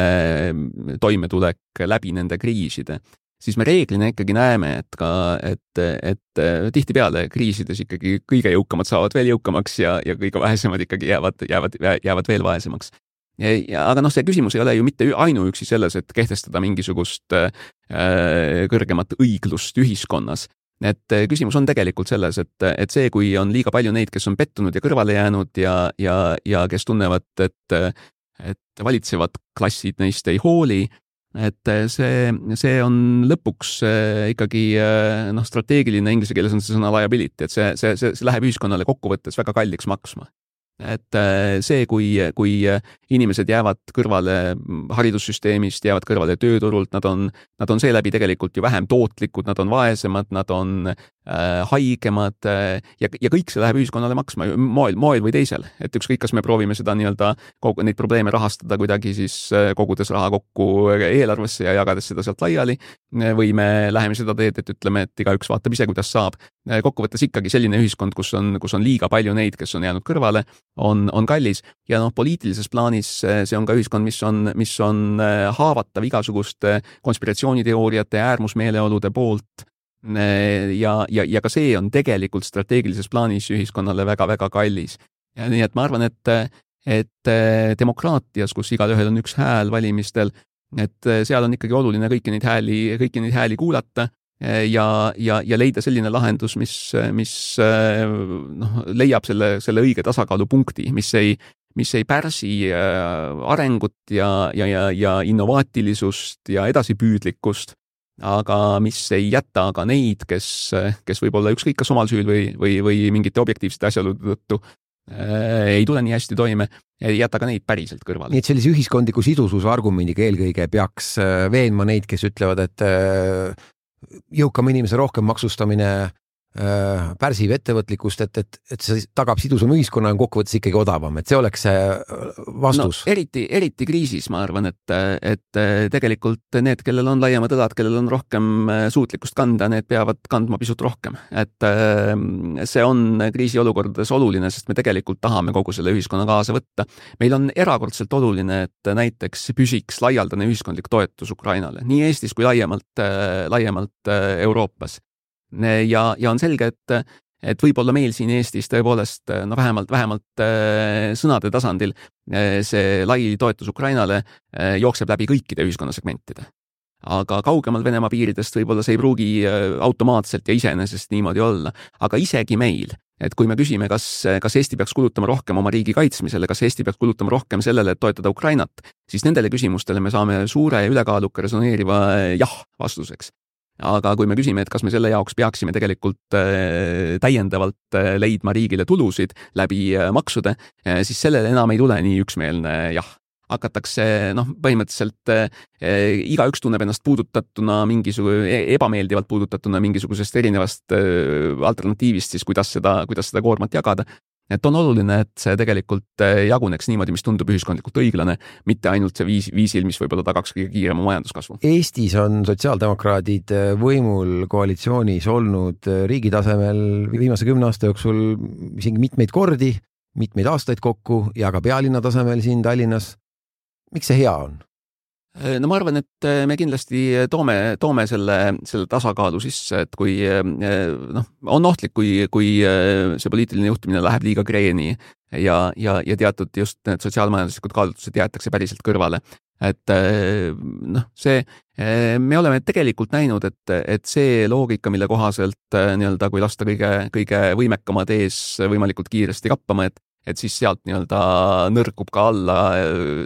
toimetulek läbi nende kriiside, siis me reeglina ikkagi näeme, et ka, et, et tihtipeale kriisides ikkagi kõige jõukamad saavad veel jõukamaks ja, ja kõige vaesemad ikkagi jäävad, jäävad, jäävad veel vaesemaks. Ja, aga noh, see küsimus ei ole ju mitte ainuüksi selles, et kehtestada mingisugust äh, kõrgemat õiglust ühiskonnas. Et küsimus on tegelikult selles, et, et see, kui on liiga palju neid, kes on pettunud ja kõrvale jäänud ja, ja, ja kes tunnevad, et, et valitsevad klassid neist ei hooli, et see, see on lõpuks ikkagi noh, strateegiline, inglise keeles on see sõna liability, et see, see, see, see läheb ühiskonnale kokkuvõttes väga kalliks maksma. Et see, kui, kui inimesed jäävad kõrvale haridussüsteemist, jäävad kõrvale tööturult, nad on, nad on seeläbi tegelikult ju vähem tootlikud, nad on vaesemad, nad on äh, haigemad äh, ja, ja kõik see läheb ühiskonnale maksma moel, moel või teisel. Et ükskõik, kas me proovime seda nii-öelda kogu, neid probleeme rahastada kuidagi siis kogudes raha kokku eelarvesse ja jagades seda sealt laiali või me läheme seda teed, et ütleme, et igaüks vaatab ise, kuidas saab. Kokkuvõttes ikkagi selline ühiskond, kus on, kus on liiga palju neid, kes on jäänud kõrvale, on, on kallis ja noh, poliitilises plaanis see on ka ühiskond, mis on, mis on haavatav igasuguste konspiratsiooniteooriate ja äärmusmeeleolude poolt ja, ja, ja ka see on tegelikult strateegilises plaanis ühiskonnale väga-väga kallis. Ja nii et ma arvan, et, et demokraatias, kus igalühel on üks hääl valimistel, et seal on ikkagi oluline kõiki neid hääli, kõiki neid hääli kuulata ja, ja, ja leida selline lahendus, mis, mis noh, leiab selle, selle õige tasakaalupunkti, mis ei, mis ei pärsi arengut ja, ja, ja, ja innovaatilisust ja edasipüüdlikkust, aga mis ei jäta aga neid, kes, kes võib olla ükskõik kas omal süül või, või, või mingite objektiivsete asjaolude tõttu ei tule nii hästi toime, ei jäta ka neid päriselt kõrvale. Nii et sellise ühiskondliku sidususe argumendiga eelkõige peaks veenma neid, kes ütlevad, et jõukam inimese rohkem maksustamine pärsib ettevõtlikkust, et, et, et see tagab sidusama ühiskonna ja kokkuvõttes ikkagi odavam, et see oleks see vastus. No, eriti, eriti kriisis ma arvan, et, et tegelikult need, kellel on laiemad õlad, kellel on rohkem suutlikkust kanda, need peavad kandma pisut rohkem. Et see on kriisiolukordades oluline, sest me tegelikult tahame kogu selle ühiskonna kaasa võtta. Meil on erakordselt oluline, et näiteks püsiks laialdane ühiskondlik toetus Ukrainale, nii Eestis kui laiemalt, laiemalt Euroopas. Ja, ja on selge, et, et võib-olla meil siin Eestis tõepoolest no vähemalt, vähemalt sõnade tasandil see lai toetus Ukrainale jookseb läbi kõikide ühiskonnasegmentide. Aga kaugemal Venemaa piiridest võib-olla see ei pruugi automaatselt ja iseenesest niimoodi olla. Aga isegi meil, et kui me küsime, kas, kas Eesti peaks kulutama rohkem oma riigi kaitsmisele, kas Eesti peaks kulutama rohkem sellele, et toetada Ukrainat, siis nendele küsimustele me saame suure ja ülekaaluka resoneeriva jah vastuseks. Aga kui me küsime, et kas me selle jaoks peaksime tegelikult täiendavalt leidma riigile tulusid läbi maksude, siis sellele enam ei tule nii üksmeelne jah. Hakatakse, noh, põhimõtteliselt eh, iga üks tunneb ennast puudutatuna mingisugune, ebameeldivalt puudutatuna mingisugusest erinevast eh, alternatiivist, siis kuidas seda, kuidas seda koormat jagada. Et on oluline, et see tegelikult jaguneks niimoodi, mis tundub ühiskondlikult õiglane, mitte ainult see viis, viisil, mis võib-olla tagaks kõige kiirema majanduskasvu. Eestis on sotsiaaldemokraadid võimul koalitsioonis olnud riigi tasemel viimase kümne aasta jooksul isegi mitmeid kordi, mitmeid aastaid kokku ja ka pealinna tasemel siin Tallinnas. Miks see hea on? No ma arvan, et me kindlasti toome, toome selle, selle tasakaalu sisse, et kui noh, on ohtlik, kui, kui see poliitiline juhtimine läheb liiga kreeni ja, ja, ja teatud just need sotsiaalmajanduslikud kaalutlused jäetakse päriselt kõrvale. Et noh, see, me oleme tegelikult näinud, et, et see loogika, mille kohaselt nii-öelda, kui lasta kõige, kõige võimekamad ees võimalikult kiiresti kappama, et et siis sealt nii-öelda nõrkub ka alla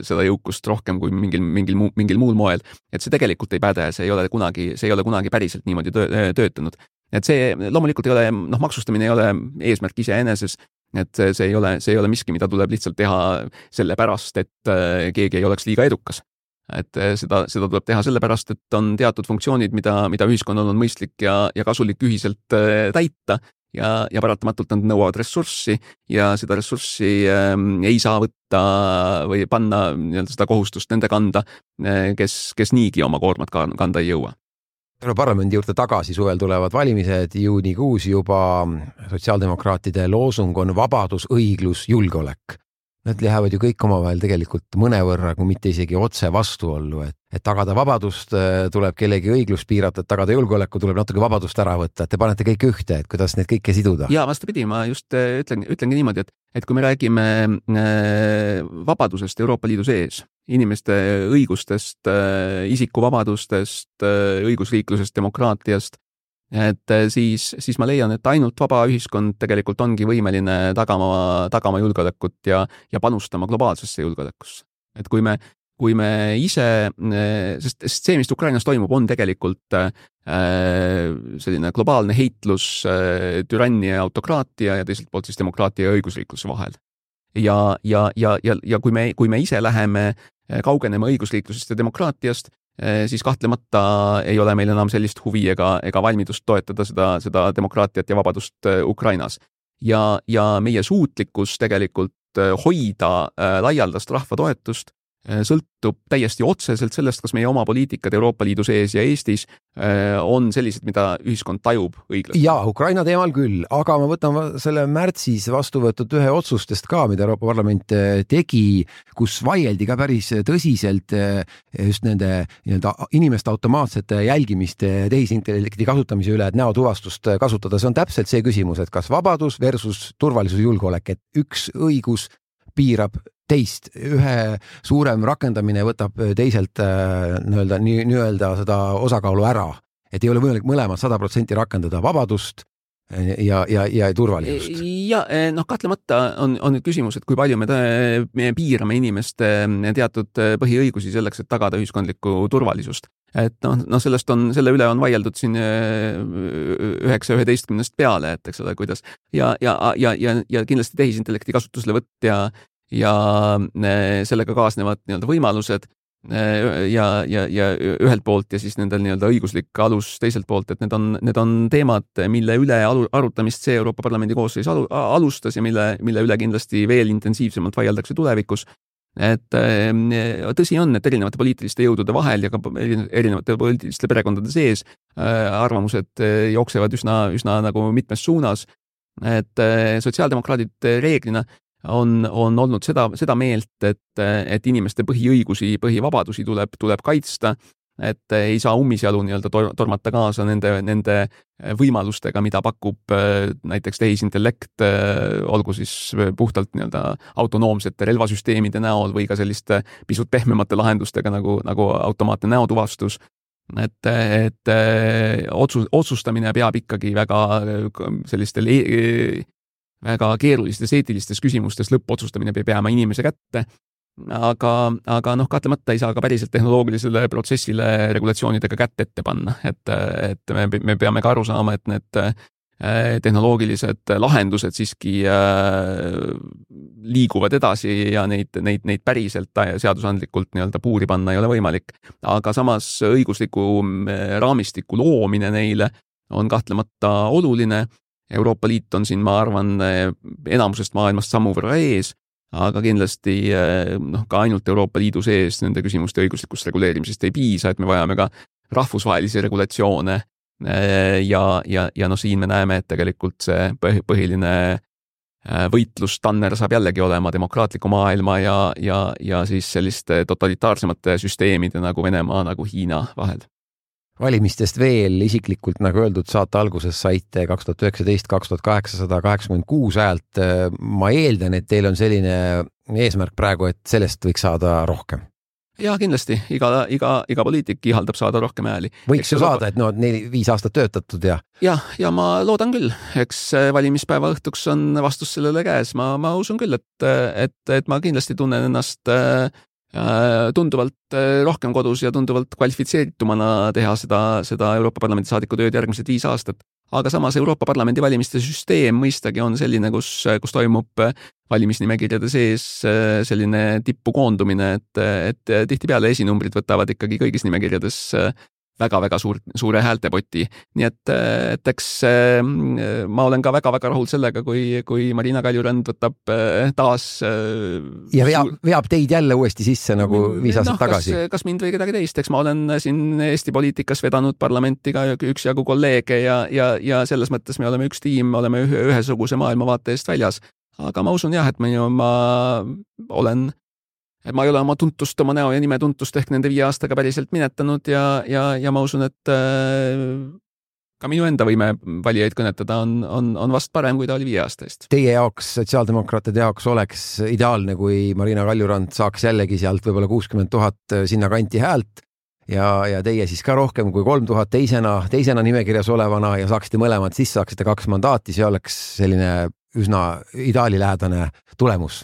seda jõukust rohkem kui mingil, mingil, muu, mingil muul moel. Et see tegelikult ei päde, see ei ole kunagi, see ei ole kunagi päriselt niimoodi töö, töötanud. Et see loomulikult ei ole, noh, maksustamine ei ole eesmärk iseeneses, et see ei ole, see ei ole miski, mida tuleb lihtsalt teha sellepärast, et keegi ei oleks liiga edukas. Et seda, seda tuleb teha sellepärast, et on teatud funktsioonid, mida, mida ühiskonnal on mõistlik ja, ja kasulik ühiselt täita. Ja, ja paratamatult nad nõuavad ressurssi ja seda ressurssi ähm, ei saa võtta või panna nii-öelda seda kohustust nende kanda, kes, kes niigi oma koormat kanda ei jõua. Parlamendi juurde tagasi suvel tulevad valimised juunikuus juba. Sotsiaaldemokraatide loosung on vabadus, õiglus, julgeolek. Nad lähevad ju kõik omavahel tegelikult mõnevõrra, kui mitte isegi otse vastuollu, et, et tagada vabadust tuleb kellegi õiglust piirata, et tagada julgeoleku tuleb natuke vabadust ära võtta, et te panete kõik ühte, et kuidas need kõike siduda. Ja vastapidi, ma just ütlen, ütlengi niimoodi, et, et kui me räägime vabadusest Euroopa Liidu sees, inimeste õigustest, isikuvabadustest, õigusriiklusest, demokraatiast, et siis, siis ma leian, et ainult vaba ühiskond tegelikult ongi võimeline tagama, tagama julgeolekut ja, ja panustama globaalsesse julgeolekusse. Et kui me, kui me ise, sest, sest see, mis Ukrainas toimub, on tegelikult äh, selline globaalne heitlus äh, türannia ja autokraatia ja teiselt poolt siis demokraatia ja õigusriikluse vahel. Ja, ja, ja, ja, ja kui me, kui me ise läheme kaugenema õigusriiklusest ja demokraatiast, siis kahtlemata ei ole meil enam sellist huvi ega, ega valmidust toetada seda, seda demokraatiat ja vabadust Ukrainas. Ja, ja meie suutlikkus tegelikult hoida laialdast rahva toetust sõltub täiesti otseselt sellest, kas meie oma poliitikad Euroopa Liidu sees ja Eestis on sellised, mida ühiskond tajub õiglaselt. Ja, Ukraina teemal küll, aga ma võtan selle märtsis vastu võetud ühe otsustest ka, mida Euroopa Parlament tegi, kus vaieldi ka päris tõsiselt just nende nii-öelda inimeste automaatsete jälgimiste tehisintellekti kasutamise üle, et näotuvastust kasutada. See on täpselt see küsimus, et kas vabadus versus turvalisus julgeolek, et üks õigus piirab teist, ühe suurem rakendamine võtab teiselt nii-öelda, nii-öelda seda osakaalu ära, et ei ole võimalik mõlemad sada protsenti rakendada vabadust ja, ja, ja turvalisust. Ja noh, kahtlemata on, on nüüd küsimus, et kui palju me, me piirame inimeste teatud põhiõigusi selleks, et tagada ühiskondlikku turvalisust. Et noh, no sellest on, selle üle on vaieldud siin üheksa üheteistkümnest peale, et eks ole, kuidas ja, ja, ja, ja, ja kindlasti tehisintellekti kasutuslevõtt ja ja sellega kaasnevad nii-öelda võimalused ja, ja, ja ühelt poolt ja siis nendel nii-öelda õiguslik alus teiselt poolt, et need on, need on teemad, mille üle arutamist see Euroopa Parlamendi koosseis alustas ja mille, mille üle kindlasti veel intensiivsemalt vaieldakse tulevikus. Et tõsi on, et erinevate poliitiliste jõudude vahel ja ka erinevate poliitiliste perekondade sees arvamused jooksevad üsna, üsna nagu mitmes suunas, et sotsiaaldemokraadid reeglina on, on olnud seda, seda meelt, et, et inimeste põhiõigusi, põhivabadusi tuleb, tuleb kaitsta, et ei saa ummisjalu nii-öelda tormata kaasa nende, nende võimalustega, mida pakub näiteks tehisintellekt, olgu siis puhtalt nii-öelda autonoomsete relvasüsteemide näol või ka selliste pisut pehmemate lahendustega nagu, nagu automaatne näotuvastus. Et, et otsus, otsustamine peab ikkagi väga sellistel väga keerulistes eetilistes küsimustes lõppotsustamine peab jääma inimese kätte, aga, aga noh, kahtlemata ei saa ka päriselt tehnoloogilisele protsessile regulatsioonidega kätt ette panna, et, et me, me peame ka aru saama, et need tehnoloogilised lahendused siiski liiguvad edasi ja neid, neid, neid päriselt seadusandlikult nii-öelda puuri panna ei ole võimalik. Aga samas õigusliku raamistiku loomine neile on kahtlemata oluline. Euroopa Liit on siin, ma arvan, enamusest maailmast sammu võrra ees, aga kindlasti noh, ka ainult Euroopa Liidu sees nende küsimuste õiguslikust reguleerimisest ei piisa, et me vajame ka rahvusvahelisi regulatsioone ja, ja, ja noh, siin me näeme, et tegelikult see põhiline võitlustanner saab jällegi olema demokraatliku maailma ja, ja, ja siis selliste totalitaarsemate süsteemide nagu Venemaa, nagu Hiina vahel. Valimistest veel isiklikult, nagu öeldud, saate alguses saite kaks tuhat üheksateist kaks tuhat kaheksasada kaheksakümmend kuus häält. Ma eeldan, et teil on selline eesmärk praegu, et sellest võiks saada rohkem. Ja kindlasti, iga, iga, iga poliitik ihaldab saada rohkem hääli. Võiks ju saada, et no neli, viis aastat töötatud ja... Ja, ja ma loodan küll. Eks valimispäeva õhtuks on vastus sellele käes. Ma, ma usun küll, et, et, et ma kindlasti tunnen ennast tunduvalt rohkem kodus ja tunduvalt kvalifitseeritumana teha seda, seda Euroopa Parlamendi saadiku tööd järgmised viis aastat. Aga samas Euroopa Parlamendi valimiste süsteem mõistagi on selline, kus, kus toimub valimisnimekirjade sees selline tippu koondumine, et, et tihtipeale esinumbrid võtavad ikkagi kõigis nimekirjades väga-väga suur, suure häältepoti. Nii et, et eks ma olen ka väga-väga rahul sellega, kui, kui Marina Kaljurand võtab taas... Ja veab, veab teid jälle uuesti sisse nagu viis aastat no, tagasi. Kas, kas mind või kedagi teist, eks ma olen siin Eesti poliitikas vedanud parlamenti ka üks jagu kolleege ja, ja, ja selles mõttes me oleme üks tiim, me oleme ühe, ühesuguse maailmavaate eest väljas. Aga ma usun jah, et ma, ma olen... Et ma ei ole oma tuntust, oma näo ja nime tuntust ehk nende viie aastaga päriselt minetanud ja, ja, ja ma usun, et äh, ka minu enda võime valijaid kõnetada on, on, on vast parem, kui ta oli viie aasta eest. Teie jaoks, sotsiaaldemokraatide jaoks oleks ideaalne, kui Marina Kaljurand saaks jällegi sealt võib-olla kuuskümmend tuhat sinna kanti häält ja, ja teie siis ka rohkem kui kolm tuhat teisena, teisena nimekirjas olevana ja saaksite mõlemad sisse, saaksite kaks mandaati, see oleks selline üsna ideaalilähedane tulemus.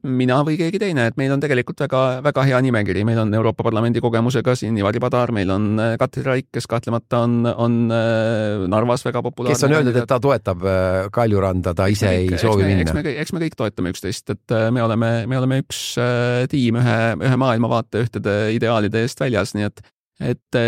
Mina või keegi teine, et meil on tegelikult väga, väga hea nimekiri, meil on Euroopa Parlamendi kogemusega siin Ivari Padar, meil on Katri Raik, kes kahtlemata on, on Narvas väga populaarne. Kes on öeldud, et ta toetab Kaljuranda, ta ise ei eks soovi me, minna. Eks me, eks me kõik toetame üksteist, et me oleme, me oleme üks tiim ühe, ühe maailmavaate ühtede ideaalide eest väljas, nii et, et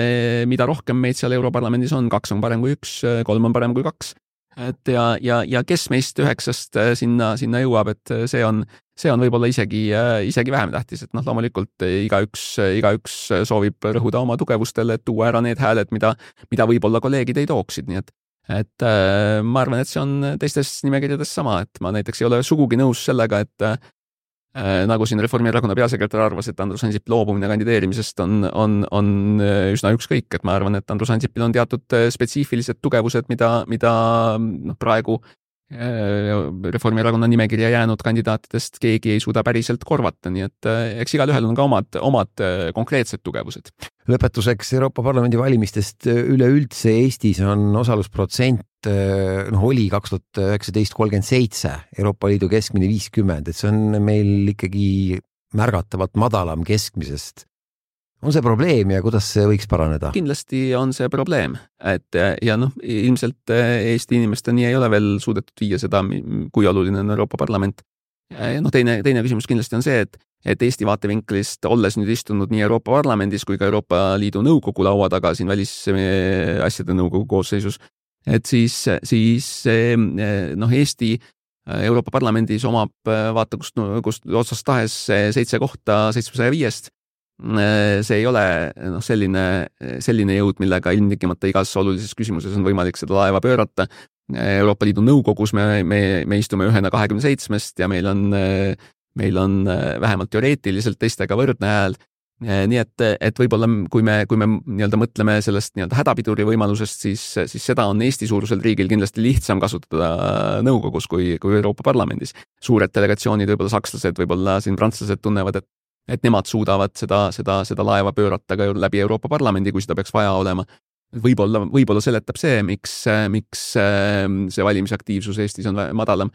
mida rohkem meid seal Europarlamendis on, kaks on parem kui üks, kolm on parem kui kaks. Et ja, ja, ja kes meist üheksast sinna, sinna jõuab, et see on, see on võib-olla isegi, isegi vähem tähtis, et noh, loomulikult igaüks, igaüks soovib rõhuda oma tugevustele, et tuua ära need hääled, mida, mida võib-olla kolleegid ei tooksid, nii et, et ma arvan, et see on teistes nimekirjades sama, et ma näiteks ei ole sugugi nõus sellega, et nagu siin Reformierakonna peasekretär arvas, et Andrus Ansip loobumine kandideerimisest on, on, on üsna ükskõik, et ma arvan, et Andrus Ansipil on teatud spetsiifilised tugevused, mida, mida noh, praegu Reformierakonna nimekirja jäänud kandidaatidest keegi ei suuda päriselt korvata, nii et eks igal ühel on ka omad, omad konkreetsed tugevused. Lõpetuseks Euroopa Parlamendi valimistest üleüldse Eestis on osalusprotsent, noh, oli kaks tuhat üheksateist kolmkümmend seitse, Euroopa Liidu keskmine viiskümmend, et see on meil ikkagi märgatavalt madalam keskmisest. On see probleem ja kuidas see võiks paraneda? Kindlasti on see probleem, et ja noh, ilmselt Eesti inimesteni ei ole veel suudetud viia seda, kui oluline on Euroopa Parlament. No teine, teine küsimus kindlasti on see, et, et Eesti vaatevinklist, olles nüüd istunud nii Euroopa Parlamendis kui ka Euroopa Liidu nõukogu laua taga siin välisasjade nõukogu koosseisus, et siis, siis noh, Eesti Euroopa Parlamendis omab vaata, kust, kust otsast tahes seitse kohta seitsmesaja viiest. See ei ole noh, selline, selline jõud, millega ilmtingimata igas olulises küsimuses on võimalik seda laeva pöörata. Euroopa Liidu nõukogus me, me, me istume ühena kahekümne seitsmest ja meil on, meil on vähemalt teoreetiliselt teistega võrdne hääl. Nii et, et võib-olla kui me, kui me nii-öelda mõtleme sellest nii-öelda hädapiduri võimalusest, siis, siis seda on Eesti suurusel riigil kindlasti lihtsam kasutada nõukogus kui, kui Euroopa Parlamendis. Suured delegatsioonid, võib-olla sakslased, võib-olla siin prantslased tunnevad, et et nemad suudavad seda, seda, seda laeva pöörata ka läbi Euroopa Parlamendi, kui seda peaks vaja olema. Võib-olla, võib-olla seletab see, miks, miks see valimisaktiivsus Eestis on madalam.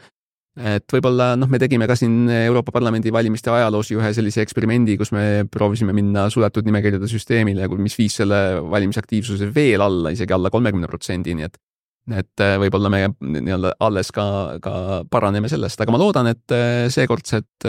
Et võib-olla noh, me tegime ka siin Euroopa Parlamendi valimiste ajaloos ühe sellise eksperimendi, kus me proovisime minna suletud nimekirjade süsteemile, mis viis selle valimisaktiivsuse veel alla, isegi alla kolmekümne protsendi, nii et et võib-olla me nii-öelda alles ka, ka paraneme sellest, aga ma loodan, et seekordsed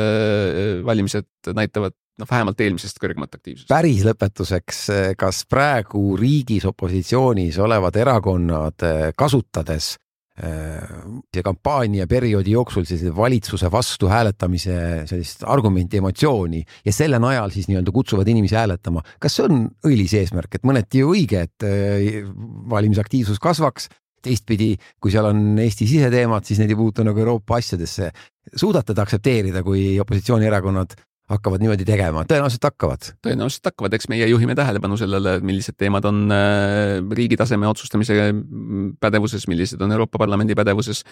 valimised näitavad noh, vähemalt eelmisest kõrgemat aktiivsust. Päris lõpetuseks, kas praegu riigis opositsioonis olevad erakonnad kasutades ja kampaania perioodi jooksul valitsuse vastu hääletamise sellist argumenti, emotsiooni ja selle najal siis nii-öelda kutsuvad inimesi hääletama, kas see on õilis eesmärk, et mõneti ju õige, et valimisaktiivsus kasvaks, teistpidi, kui seal on Eesti siseteemad, siis need ei puutu nagu Euroopa asjadesse. Suudate te aktsepteerida, kui opositsioonierakonnad hakkavad niimoodi tegema? Tõenäoliselt hakkavad. Tõenäoliselt hakkavad, eks meie juhime tähelepanu sellele, millised teemad on riigi taseme otsustamise pädevuses, millised on Euroopa Parlamendi pädevuses,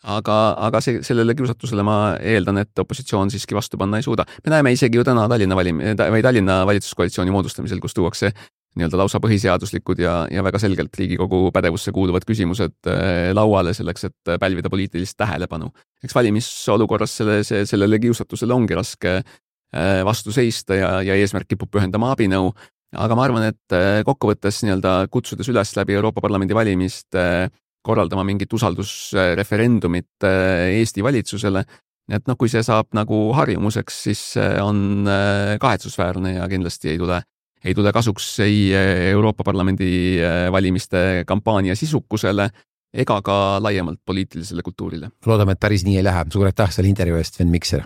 aga, aga see, sellele kiusatusele ma eeldan, et opositsioon siiski vastu panna ei suuda. Me näeme isegi ju täna Tallinna, valim, või Tallinna valitsuskoalitsiooni moodustamisel, kus tuuakse nii-öelda lausa põhiseaduslikud ja, ja väga selgelt Riigikogu pädevusse kuuluvad küsimused lauale selleks, et pälvida poliitilist tähelepanu. Eks valimisolukorras selle, see, sellele kiusatusele ongi raske vastu seista ja, ja eesmärk kipub pühendama abinõu, aga ma arvan, et kokkuvõttes nii-öelda kutsudes üles läbi Euroopa Parlamendi valimist korraldama mingit usaldusreferendumit Eesti valitsusele, et noh, kui see saab nagu harjumuseks, siis on kahetsusväärne ja kindlasti ei tule ei tule kasuks ei Euroopa Parlamendi valimiste kampaania sisukusele ega ka laiemalt poliitilisele kultuurile. Loodame, et päris nii ei lähe. Suur aitäh selle intervjuu eest, Sven Mikser.